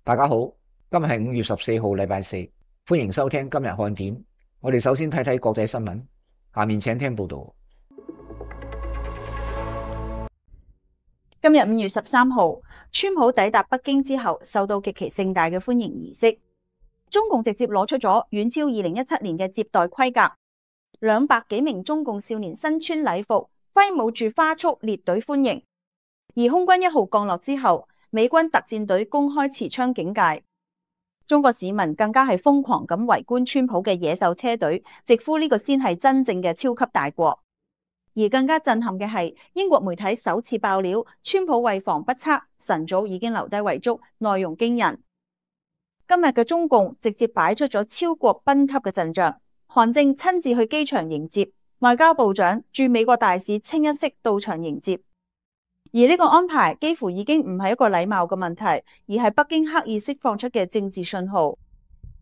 大家好，今日係5月14號，禮拜四，歡迎收聽今日看點。我哋首先睇睇國際新聞，下面請聽報道。今日5月13號，川普抵達北京之後，受到極其盛大嘅歡迎儀式。中共直接攞出咗遠超2017年嘅接待規格，200幾名中共少年身穿禮服，揮舞住花束列隊歡迎。而空軍1號降落之後，美軍特戰隊公開持槍警戒，中國市民更加係瘋狂咁圍觀川普嘅野獸車隊，直呼呢個先係真正嘅超級大國。而更加震撼嘅係，英國媒體首次爆料，川普為防不測，晨早已經留低遺囑，內容驚人。今日嘅中共直接擺出咗超國賓級嘅陣仗，韓正親自去機場迎接，外交部長駐美國大使清一色到場迎接。而呢個安排幾乎已經唔係一個禮貌嘅問題，而係北京刻意釋放出嘅政治信號。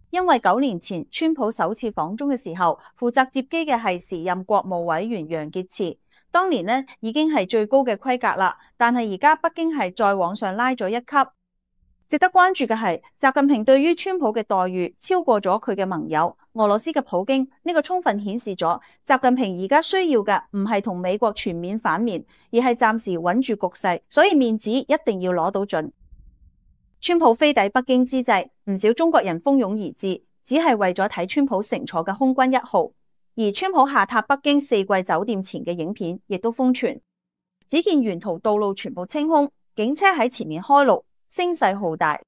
因為9年前川普首次訪中嘅時候，負責接機嘅係時任國務委員楊潔篪，當年呢已經係最高嘅規格啦，但係而家北京係再往上拉咗一級。值得關注嘅係，習近平對於川普嘅待遇超過咗佢嘅盟友俄羅斯嘅普京，呢個充分顯示咗習近平而家需要嘅唔係同美國全面反面，而係暫時穩住局勢，所以面子一定要攞到盡。川普飛抵北京之際，唔少中國人蜂擁而至，只係為咗睇川普乘坐嘅空軍1號。而川普下榻北京4季酒店前嘅影片亦都瘋傳，只見沿途道路全部清空，警車喺前面開路，聲勢浩大，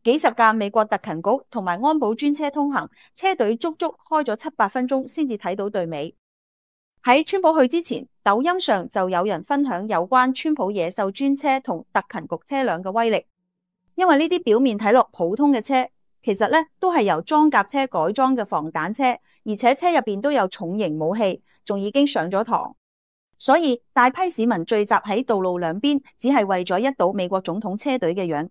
幾十架美國特勤局同埋安保專車通行，車隊足足開咗7-8分鐘先至睇到隊尾。喺川普去之前，抖音上就有人分享有關川普野獸專車同特勤局車輛嘅威力，因為呢啲表面睇落普通嘅車，其實咧都係由裝甲車改裝嘅防彈車，而且車入邊都有重型武器，仲已經上咗膛。所以大批市民聚集喺道路兩邊，只係為咗一睹美國總統車隊嘅樣。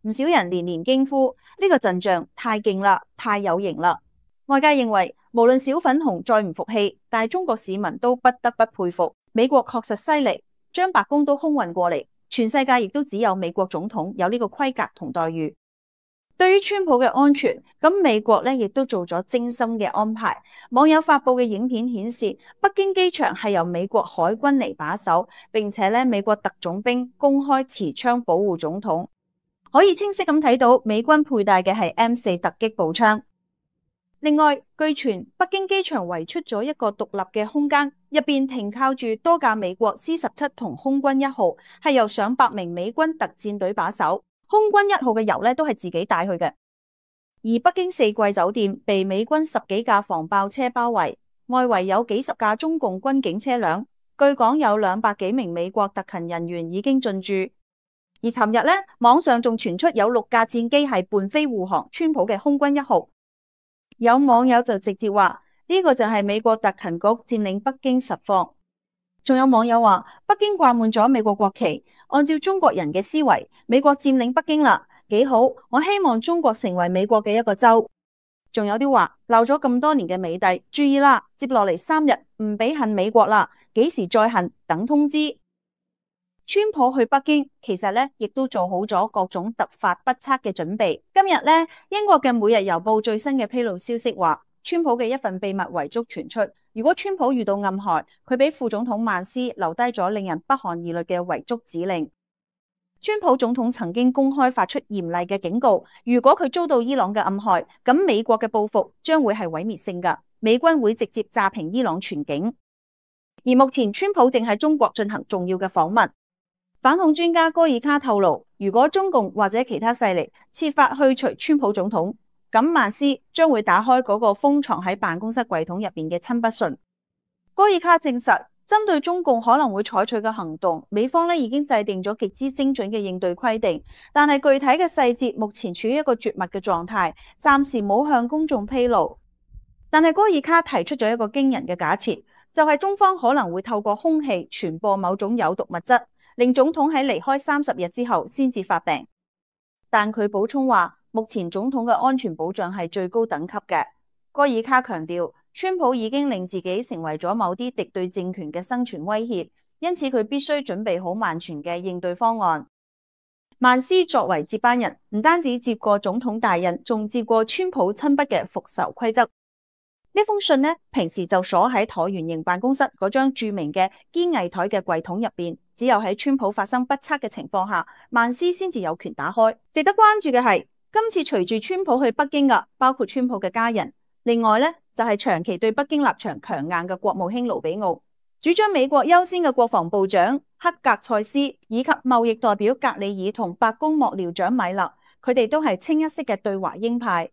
唔少人連連驚呼：呢個陣仗太勁啦，太有型啦！外界認為，無論小粉紅再唔服氣，但係中國市民都不得不佩服，美國確實犀利，將白宮都空運過嚟，全世界亦都只有美國總統有呢個規格同待遇。對於川普嘅安全，咁美國咧亦都做咗精心嘅安排。網友發佈嘅影片顯示，北京機場係由美國海軍嚟把守，並且咧美國特種兵公開持槍保護總統，可以清晰咁睇到美軍佩戴嘅係 M4 突擊步槍。另外，據傳北京機場圍出咗一個獨立嘅空間，入邊停靠住多架美國 C-17同空軍1號，係由上百名美軍特戰隊把守。空軍1號嘅油咧都係自己帶去嘅，而北京4季酒店被美軍10幾架防爆車包圍，外圍有幾十架中共軍警車輛，據講有200幾名美國特勤人員已經進駐。而尋日咧，網上仲傳出有6架戰機係伴飛護航川普嘅空軍1號，有網友就直接話呢個就係美國特勤局佔領北京實況。仲有網友話北京掛滿咗美國國旗，按照中國人嘅思維，美國佔領北京啦，幾好，我希望中國成為美國嘅一個州。仲有啲話鬧咗咁多年嘅美帝，注意啦，接落嚟3日唔俾恨美國啦，幾時再恨等通知。川普去北京其實咧亦都做好咗各種突發不測嘅準備。今日咧，英國嘅每日郵報最新嘅披露消息話，川普嘅一份秘密遺囑傳出，如果川普遇到暗害，佢俾副總統曼斯留低咗令人不寒而慄嘅遺囑指令。川普總統曾經公開發出嚴厲嘅警告，如果佢遭到伊朗嘅暗害，咁美國嘅報復將會係毀滅性㗎，美軍會直接炸平伊朗全境。而目前川普正喺中國進行重要嘅訪問。反恐專家戈爾卡透露，如果中共或者其他勢力設法去除川普總統，咁曼斯將會打開嗰個封藏喺辦公室櫃桶入邊嘅親筆信。戈爾卡證實，針對中共可能會採取嘅行動，美方咧已經制定咗極之精準嘅應對規定，但係具體嘅細節目前處於一個絕密嘅狀態，暫時冇向公眾披露。但係戈爾卡提出咗一個驚人嘅假設，就係中方可能會透過空氣傳播某種有毒物質，令總統喺離開30日之後先至發病。但佢補充話，目前總統嘅安全保障係最高等級嘅。戈爾卡強調，川普已經令自己成為咗某啲敵對政權嘅生存威脅，因此佢必須準備好萬全嘅應對方案。曼斯作為接班人，唔單止接過總統大印，仲接過川普親筆嘅復仇規則。呢封信呢，平時就鎖喺橢圓形辦公室嗰張著名嘅堅毅台嘅櫃桶入邊，只有喺川普發生不測嘅情況下，曼斯先至有權打開。值得關注嘅係，今次隨住川普去北京嘅，包括川普嘅家人，另外呢，就係長期對北京立場強硬嘅國務卿盧比奧。主張美國優先嘅國防部長克格塞斯，以及貿易代表格里爾同白宮幕僚長米勒，佢哋都係清一色嘅對華鷹派。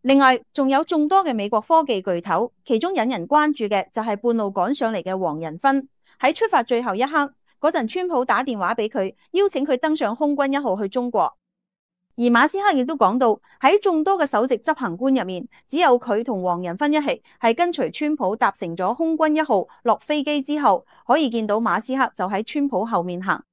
另外，仲有眾多嘅美國科技巨頭，其中引人關注嘅就係半路趕上嚟嘅黃仁勳。喺出發最後一刻嗰陣，川普打電話俾佢，邀請佢登上空軍一號去中國。而馬斯克亦都講到，喺眾多嘅首席執行官入面，只有佢同黃仁勳一起係跟隨川普搭乘咗空軍一號落飛機之後，可以見到馬斯克就喺川普後面行。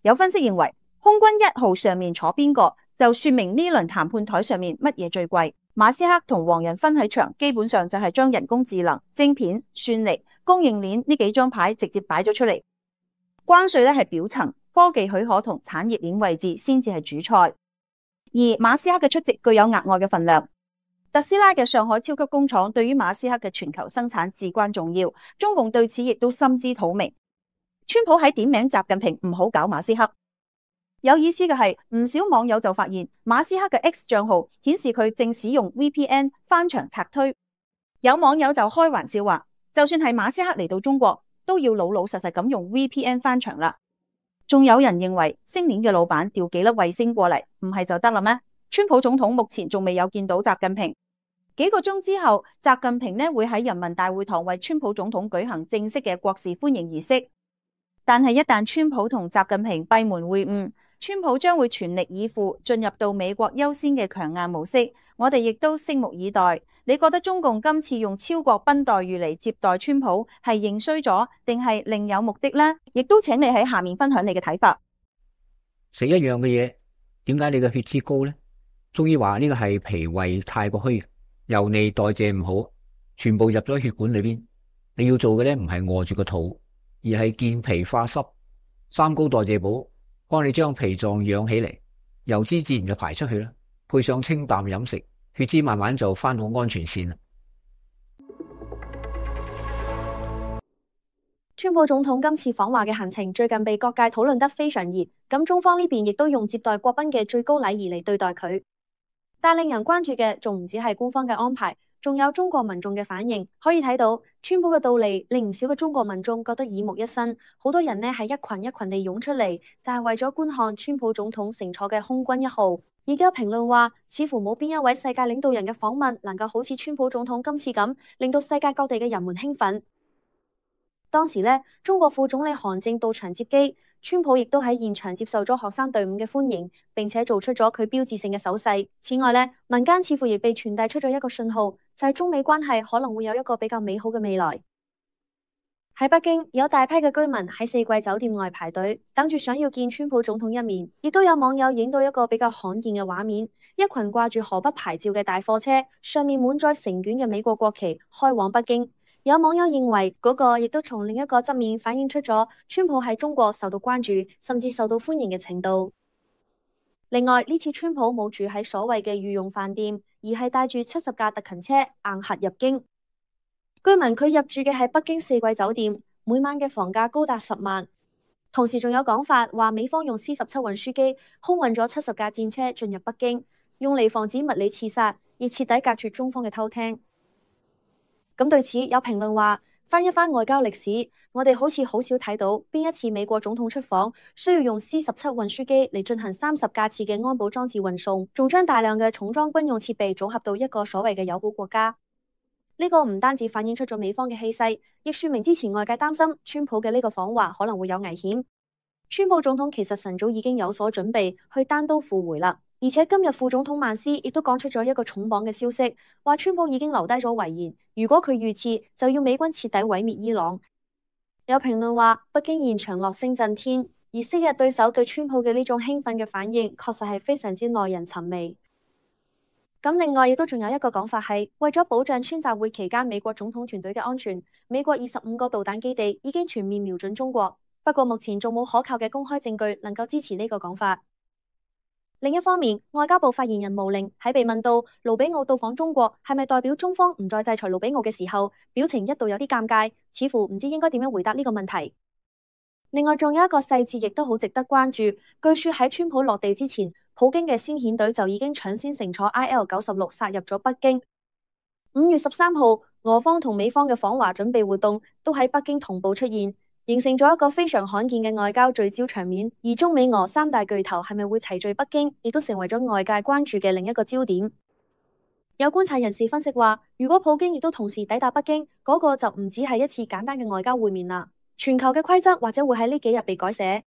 有分析認為，空軍一號上面坐邊個，就說明呢輪談判台上面乜嘢最貴。馬斯克同黃仁勳喺場，基本上就係將人工智能、晶片、算力、供應鏈呢幾張牌直接擺咗出嚟。關稅咧係表層，科技許可同產業鏈位置先至係主菜。而馬斯克嘅出席具有額外嘅份量。特斯拉嘅上海超級工廠對於馬斯克嘅全球生產至關重要，中共對此亦都心知肚明。川普喺點名習近平唔好搞馬斯克。有意思嘅係，唔少網友就發現馬斯克嘅 X 賬號顯示佢正使用 VPN 翻牆拆推。有網友就開玩笑話，就算係馬斯克嚟到中國，都要老老實實咁用 VPN 翻牆啦。仲有人認為星鏈嘅老闆調幾粒衛星過嚟，唔係就得啦咩？川普總統目前仲未有見到習近平。幾個鐘之後，習近平呢會喺人民大會堂為川普總統舉行正式嘅國事歡迎儀式。但係一旦川普同習近平閉門會晤，川普將會全力以赴進入到美國優先嘅強硬模式。我哋亦都拭目以待。你覺得中共今次用超國賓待遇嚟接待川普係認衰咗，定係另有目的呢？亦都請你喺下面分享你嘅睇法。食一樣嘅嘢，點解你嘅血脂高呢？中醫話呢個係脾胃太過虛，油膩代謝唔好，全部入咗血管裏邊。你要做嘅咧唔係餓住個肚，而係健脾化濕、三高代謝補，幫你將脾臟養起嚟，油脂自然就排出去啦。配上清淡飲食，血脂慢慢就翻到安全線啦。川普總統今次訪華嘅行程最近被各界討論得非常熱，咁中方呢邊亦都用接待國賓嘅最高禮儀嚟對待佢。但令人關注嘅仲唔止係官方嘅安排，仲有中國民眾嘅反應。可以睇到，川普嘅到嚟令唔少嘅中國民眾覺得耳目一新，好多人呢係一群一群地湧出嚟，就係為咗觀看川普總統乘坐嘅空軍一號。而家評論話，似乎冇邊一位世界領導人嘅訪問能夠好似川普總統今次咁，令到世界各地嘅人們興奮。當時呢，中國副總理韓正到場接機，川普亦都喺現場接受咗學生隊伍嘅歡迎，並且做出咗佢標誌性嘅手勢。此外呢，民間似乎亦被傳遞出咗一個信號，就係中美關係可能會有一個比較美好嘅未來。喺北京，有大批嘅居民喺四季酒店外排隊，等住想要見川普總統一面。亦都有網友影到一個比較罕見嘅畫面，一群掛住河北牌照嘅大貨車，上面滿載成卷嘅美國國旗，開往北京。有網友認為嗰個亦都從另一個側面反映出咗川普喺中國受到關注，甚至受到歡迎嘅程度。另外，呢次川普冇住喺所謂嘅御用飯店，而係帶住70架特勤車硬核入京。據聞佢入住嘅係北京四季酒店，每晚嘅房價高達10萬。同時仲有講法話，美方用 C-17運輸機空運咗70架戰車進入北京，用嚟防止物理刺殺，亦徹底隔絕中方嘅偷聽。咁對此有評論話，翻一翻外交歷史，我哋好似好少睇到邊一次美國總統出訪需要用 C-17運輸機嚟進行30架次嘅安保裝置運送，仲將大量嘅重裝軍用設備組合到一個所謂嘅友好國家。呢個唔單止反映出咗美方嘅氣勢，亦說明之前外界擔心川普嘅呢個訪華可能會有危險。川普總統其實晨早已經有所準備去單刀赴會啦，而且今日副總統曼斯亦都講出咗一個重磅嘅消息，話川普已經留低咗遺言，如果佢遇刺，就要美軍徹底毀滅伊朗。有評論話，北京現場樂聲震天，而昔日對手對川普嘅呢種興奮嘅反應，確實係非常之耐人尋味。咁另外亦都仲有一個講法係，為咗保障川習會期間美國總統團隊嘅安全，美國25個導彈基地已經全面瞄準中國。不過目前仲冇可靠嘅公開證據能夠支持呢個講法。另一方面，外交部發言人毛寧喺被問到盧比奧到訪中國係咪代表中方唔再制裁盧比奧嘅時候，表情一度有啲尷尬，似乎唔知應該點樣回答呢個問題。另外，仲有一個細節亦都好值得關注，據說喺川普落地之前，普京嘅先遣隊就已經搶先乘坐 IL-96殺入咗北京。5月13號，俄方同美方嘅訪華準備活動都喺北京同步出現，形成咗一個非常罕見嘅外交聚焦場面。而中美俄三大巨頭係咪會齊聚北京，亦都成為咗外界關注嘅另一個焦點。有觀察人士分析話，如果普京亦都同時抵達北京，嗰個就唔只係一次簡單嘅外交會面啦，全球嘅規則或者會喺呢幾日被改寫。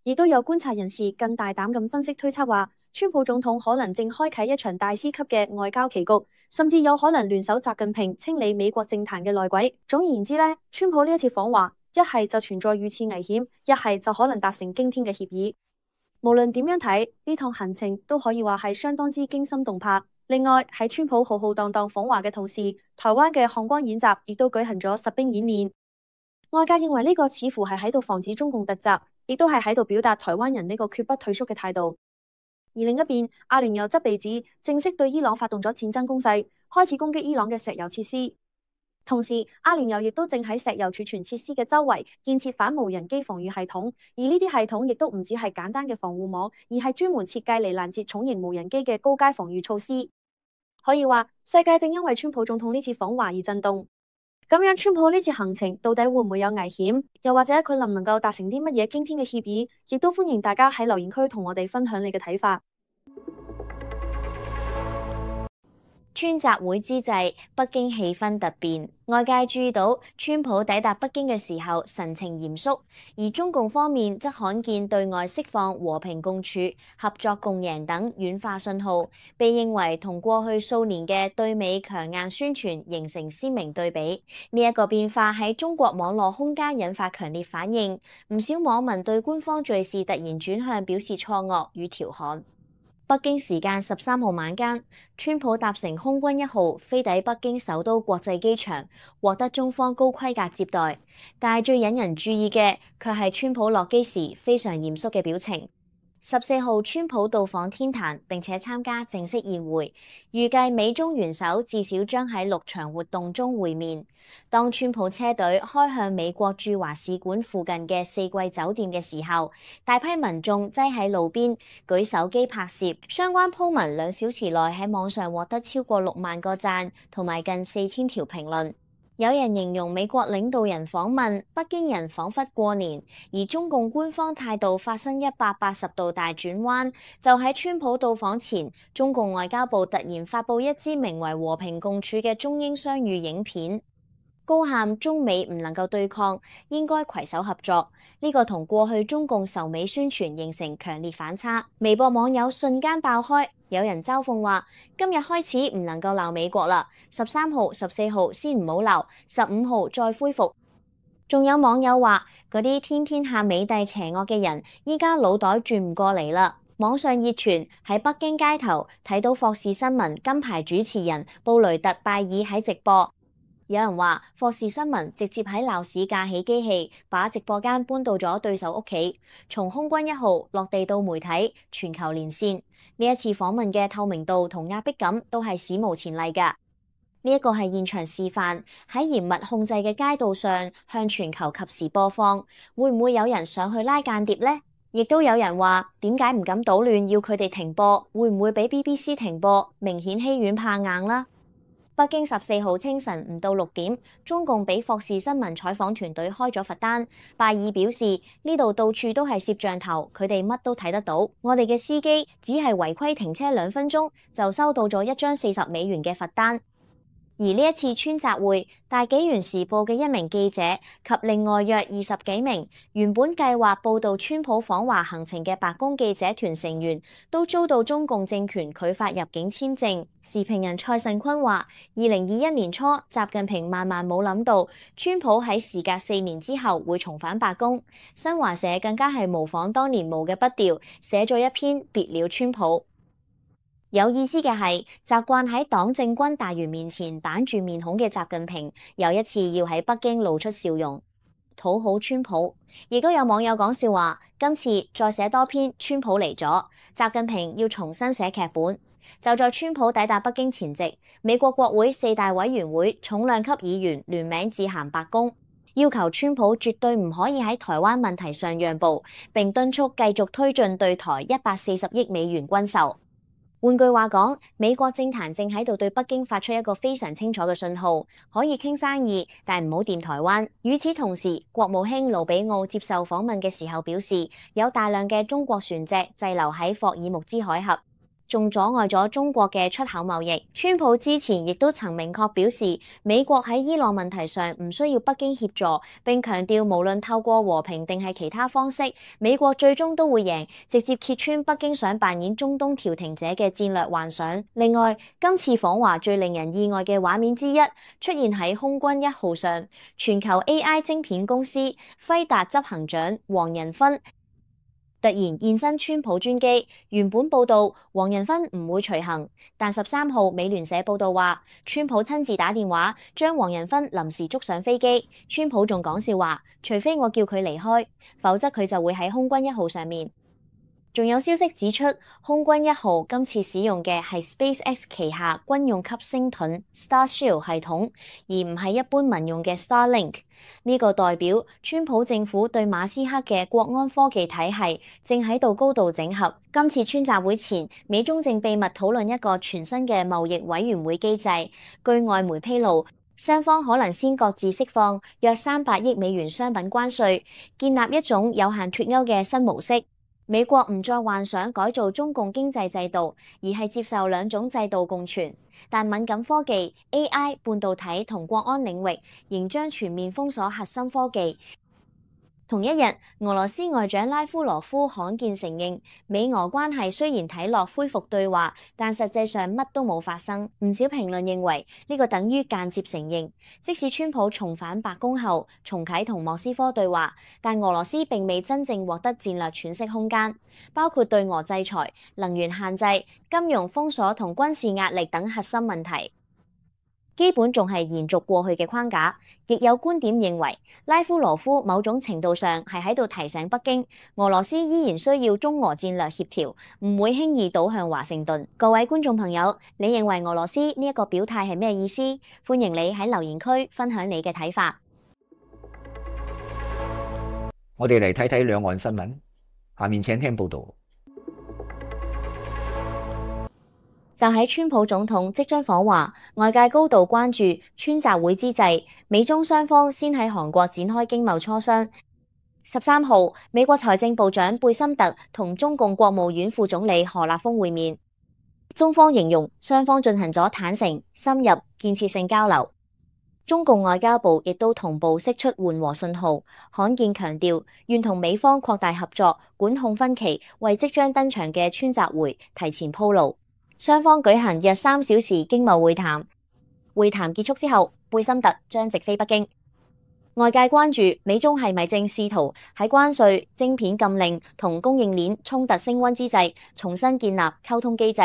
亦都有觀察人士更大膽咁分析推測話，川普總統可能正開啟一場大師級嘅外交棋局，甚至有可能聯手習近平清理美國政壇嘅內鬼。總而言之呢，川普呢一次訪華，一係就存在遇刺危險，一係就可能達成驚天嘅協議。無論點樣睇，呢趟行程都可以話係相當之驚心動魄。另外喺川普浩浩蕩蕩訪華嘅同時，台灣嘅漢光演習亦都舉行咗實兵演練。外界認為呢個似乎係喺度防止中共突襲，亦都係喺度表達台灣人呢個決不退縮嘅態度。而另一邊，阿聯酋則被指正式對伊朗發動咗戰爭攻勢，開始攻擊伊朗嘅石油設施。同時，阿聯酋亦都正喺石油儲存設施嘅周圍建設反無人機防禦系統，而呢啲系統亦都唔只係簡單嘅防護網，而係專門設計嚟攔截重型無人機嘅高階防禦措施。可以話，世界正因為川普總統呢次訪華而震動。咁樣，川普呢次行程到底會唔會有危險？又或者佢能唔能夠達成啲乜嘢驚天嘅協議？亦都歡迎大家喺留言區同我哋分享你嘅睇法。川習會之際，北京氣氛突變，外界注意到川普抵達北京嘅時候神情嚴肅，而中共方面則罕見對外釋放和平共處、合作共贏等軟化信號，被認為同過去數年嘅對美強硬宣傳形成鮮明對比。呢一個變化喺中國網絡空間引發強烈反應，唔少網民對官方敘事突然轉向表示錯愕與調侃。北京時間13號晚間，川普搭乘空軍1號飛抵北京首都國際機場，獲得中方高規格接待。但係最引人注意嘅，卻係川普落機時非常嚴肅嘅表情。14號，川普到訪天壇並且參加正式宴會，預計美中元首至少將喺6場活動中會面。當川普車隊開向美國駐華使館附近嘅4季酒店嘅時候，大批民眾擠喺路邊舉手機拍攝，相關 po 文2小時內喺網上獲得超過6萬個讚同埋近4000條評論。有人形容美國領導人訪問，北京人彷彿過年，而中共官方態度發生180度大轉彎。就喺川普到訪前，中共外交部突然發布一支名為《和平共處》嘅中英雙語影片，高喊中美唔能夠對抗，應該攜手合作。呢個同過去中共仇美宣傳形成強烈反差。微博網友瞬間爆開，有人嘲諷話：今日開始唔能夠鬧美國啦，13號、14號先唔好鬧，15號再恢復。仲有網友話：嗰啲天天喊美帝邪惡嘅人，依家腦袋轉唔過嚟啦。網上熱傳喺北京街頭睇到霍士新聞金牌主持人布雷特拜爾喺直播。有人話霍士新聞直接喺鬧市架起機器，把直播間搬到咗對手屋企，從空軍1號落地到媒體，全球連線。呢一次訪問嘅透明度同壓迫感都係史無前例㗎。呢一個係現場示範，喺嚴密控制嘅街道上向全球及時播放，會唔會有人上去拉間諜呢？亦都有人話點解唔敢搗亂，要佢哋停播，會唔會俾 BBC 停播？明顯欺軟怕硬啦。北京14號清晨唔到6點，中共俾霍士新聞採訪團隊開咗罰單。拜爾表示：呢度到處都係攝像頭，佢哋乜都睇得到。我哋嘅司機只係違規停車2分鐘，就收到咗一張40美元嘅罰單。而呢一次川習會，大紀元時報嘅1名記者及另外約20幾名原本計劃報導川普訪華行程嘅白宮記者團成員，都遭到中共政權拒發入境簽證。時評人蔡慎坤話：2021年初，習近平萬萬冇諗到，川普喺時隔4年之後會重返白宮。新華社更加係模仿當年毛嘅筆調，寫咗一篇別了川普。有意思嘅係，習慣喺黨政軍大員面前板住面孔嘅習近平，又一次要喺北京露出笑容。討好川普。亦都有網友講笑話，今次再寫多篇川普嚟咗，習近平要重新寫劇本。就在川普抵達北京前夕，美國國會4大委員會重量級議員聯名致函白宮，要求川普絕對唔可以喺台灣問題上讓步，並敦促繼續推進對台140億美元軍售。換句話講，美國政壇正喺度對北京發出一個非常清楚嘅信號，可以傾生意，但唔好掂台灣。與此同時，國務卿盧比奧接受訪問嘅時候表示，有大量嘅中國船隻滯留喺霍爾木茲海峽，仲阻礙咗中國嘅出口貿易。川普之前亦都曾明確表示，美國喺伊朗問題上唔需要北京協助，並強調無論透過和平定係其他方式，美國最終都會贏，直接揭穿北京想扮演中東調停者嘅戰略幻想。另外，今次訪華最令人意外嘅畫面之一，出現喺空軍1號上，全球 AI 晶片公司輝達執行長黃仁勳突然現身川普專機，原本報道黃仁勳唔會隨行，但13號美聯社報道話，川普親自打電話將黃仁勳臨時捉上飛機。川普仲講笑話，除非我叫佢離開，否則佢就會喺空軍1號上面。仲有消息指出，空軍1號今次使用嘅係 SpaceX 旗下軍用級星盾 Starshield 系統，而唔係一般民用嘅 Starlink。呢個代表川普政府對馬斯克嘅國安科技體系正喺度高度整合。今次川習會前，美中正秘密討論一個全新嘅貿易委員會機制。據外媒披露，雙方可能先各自釋放約300億美元商品關稅，建立一種有限脫鈎嘅新模式。美國唔再幻想改造中共經濟制度，而係接受兩種制度共存。但敏感科技、AI、半導體同國安領域仍將全面封鎖核心科技。同一日，俄羅斯外長拉夫羅夫罕見承認，美俄關係雖然睇落恢復對話，但實際上乜都冇發生。唔少評論認為呢個等於間接承認，即使川普重返白宮後重啟同莫斯科對話，但俄羅斯並未真正獲得戰略喘息空間，包括對俄制裁、能源限制、金融封鎖同軍事壓力等核心問題。基本仲係延續過去嘅框架，亦有觀點認為，拉夫羅夫某種程度上係喺度提醒北京，俄羅斯依然需要中俄戰略協調，唔會輕易倒向華盛頓。各位觀眾朋友，你認為俄羅斯呢一個表態係咩意思？歡迎你喺留言區分享你嘅睇法。我哋嚟睇睇兩岸新聞，下面請聽報道。就喺川普總統即將訪華，外界高度關注川習會之際，美中雙方先喺韓國展開經貿磋商。13號，美國財政部長貝森特同中共國務院副總理何立峰會面，中方形容雙方進行咗坦誠、深入、建設性交流。中共外交部亦都同步釋出緩和信號，罕見強調願同美方擴大合作，管控分歧，為即將登場嘅川習會提前鋪路。雙方舉行約3小時經貿會談，會談結束之後，貝森特將直飛北京。外界關注美中係咪正試圖喺關稅、晶片禁令同供應鏈衝突升溫之際，重新建立溝通機制。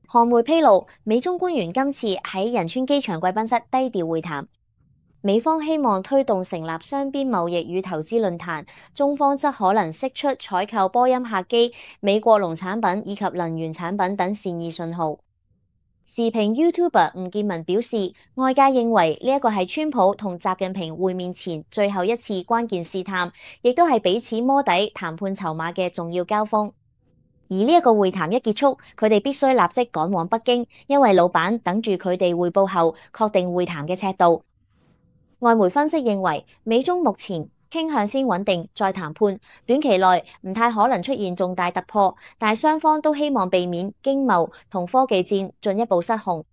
韓媒披露，美中官員今次喺仁川機場貴賓室低調會談。美方希望推動成立雙邊貿易與投資論壇，中方則可能釋出採購波音客機、美國農產品以及能源產品等善意信號。時評 YouTuber 吳建文表示，外界認為呢一個係川普同習近平會面前最後一次關鍵試探，亦都係彼此摸底談判籌碼嘅重要交鋒。而呢一個會談一結束，佢哋必須立即趕往北京，因為老闆等住佢哋匯報後確定會談嘅尺度。外媒分析認為，美中目前傾向先穩定再談判，短期內唔太可能出現重大突破，但係雙方都希望避免經貿同科技戰進一步失控。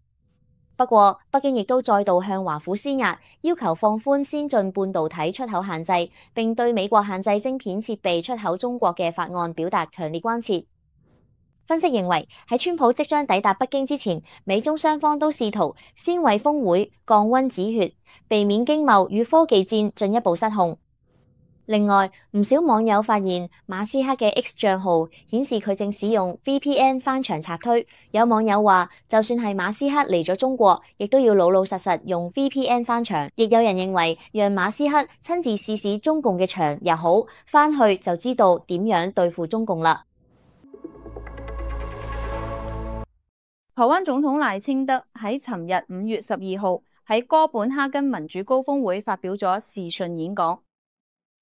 不過，北京亦都再度向華府施壓，要求放寬先進半導體出口限制，並對美國限制晶片設備出口中國嘅法案表達強烈關切。分析認為，喺川普即將抵達北京之前，美中雙方都試圖先為峰會降溫止血，避免經貿與科技戰進一步失控。另外，唔少網友發現馬斯克嘅 X 賬號顯示佢正使用 VPN 翻牆賊推。有網友話，就算係馬斯克嚟咗中國，亦都要老老實實用 VPN 翻牆。亦有人認為，讓馬斯克親自試試中共嘅牆又好，翻去就知道點樣對付中共啦。台灣總統賴清德喺尋日5月12號喺哥本哈根民主高峰會發表咗視訊演講。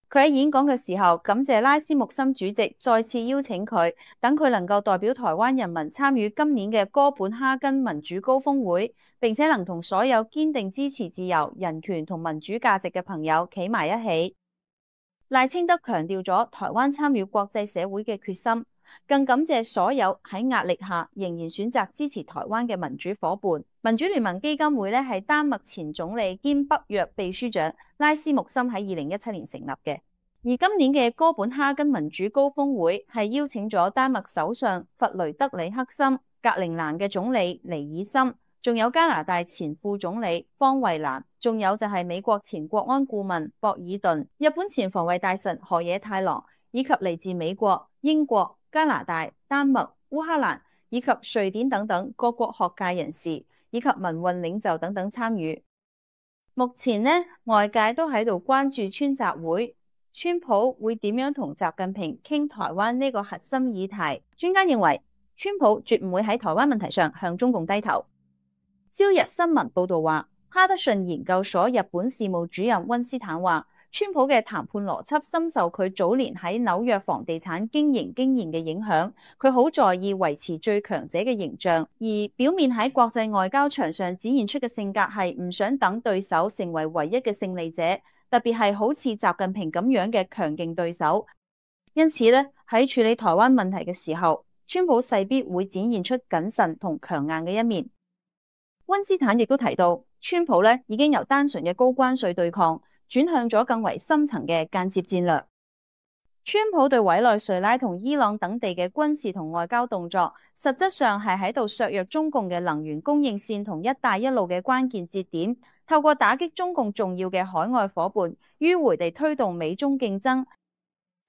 佢喺演講嘅時候，感謝拉斯穆森主席再次邀請佢，等佢能夠代表台灣人民參與今年嘅哥本哈根民主高峰會，並且能同所有堅定支持自由、人權同民主價值嘅朋友企埋一起。賴清德強調咗台灣參與國際社會嘅決心，更感謝所有喺壓力下仍然選擇支持台灣嘅民主夥伴。民主聯盟基金會咧係丹麥前總理兼北約秘書長拉斯穆森喺2017年成立嘅，而今年嘅哥本哈根民主高峰會係邀請咗丹麥首相弗雷德里克森、格陵蘭嘅總理尼爾森，仲有加拿大前副總理方慧蘭，仲有就係美國前國安顧問博爾頓、日本前防衛大臣河野太郎，以及嚟自美國、英國、加拿大、丹麥、烏克蘭以及瑞典等等各國學界人士以及民運領袖等等參與。目前呢，外界都喺度關注川習會，川普會點樣同習近平傾台灣呢個核心議題？專家認為，川普絕唔會喺台灣問題上向中共低頭。朝日新聞報道話，哈德遜研究所日本事務主任溫斯坦話，川普嘅談判邏輯深受佢早年喺紐約房地產經營經驗嘅影響，佢好在意維持最強者嘅形象，而表面喺國際外交場上展現出嘅性格係唔想等對手成為唯一嘅勝利者，特別係好似習近平咁樣嘅強勁對手。因此咧，喺處理台灣問題嘅時候，川普勢必會展現出謹慎同強硬嘅一面。溫斯坦亦都提到，川普咧已經由單純嘅高關稅對抗轉向咗更為深層嘅間接戰略。川普對委內瑞拉同伊朗等地嘅軍事同外交動作，實質上係喺度削弱中共嘅能源供應線同一帶一路嘅關鍵節點，透過打擊中共重要嘅海外夥伴，迂回地推動美中競爭。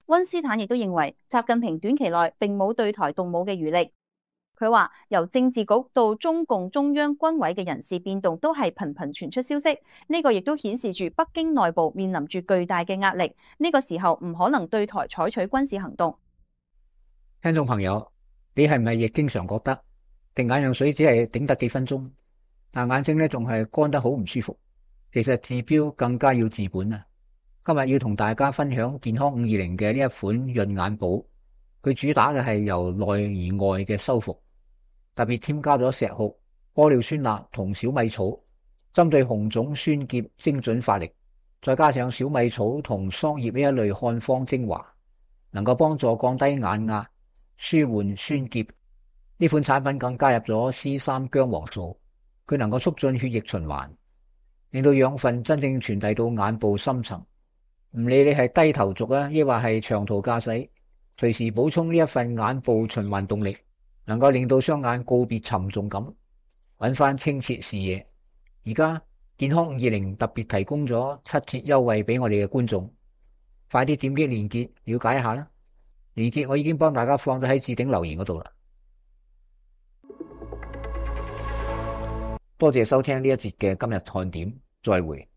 溫斯坦亦都認為，習近平短期內並冇對台動武嘅餘力。佢話由政治局到中共中央軍委嘅人事變動都係頻頻傳出消息，呢個亦都顯示住北京內部面臨住巨大嘅壓力，呢個時候唔可能對台採取軍事行動。聽眾朋友，你係咪亦經常覺得滴眼藥水只係頂得幾分鐘，但眼睛咧仲係乾得好唔舒服？其實治標更加要治本啊！今日要同大家分享健康520嘅呢一款潤眼寶，佢主打嘅係由內而外嘅修復。特別添加咗石斛、玻尿酸鈉同小米草，針對紅腫酸澀精準發力，再加上小米草同桑葉呢一類漢方精華，能夠幫助降低眼壓、舒緩酸澀。呢款產品更加入咗 C3 薑黃素，佢能夠促進血液循環，令到養分真正傳遞到眼部深層。唔理你係低頭族啊，抑或係長途駕駛，隨時補充呢一份眼部循環動力，能夠令到雙眼告別沉重感，揾翻清澈視野。而家健康520特別提供咗7折優惠俾我哋嘅觀眾，快啲點擊鏈接了解一下啦。鏈接我已經幫大家放咗喺置頂留言嗰度啦。多謝收聽呢一節嘅今日看點，再會。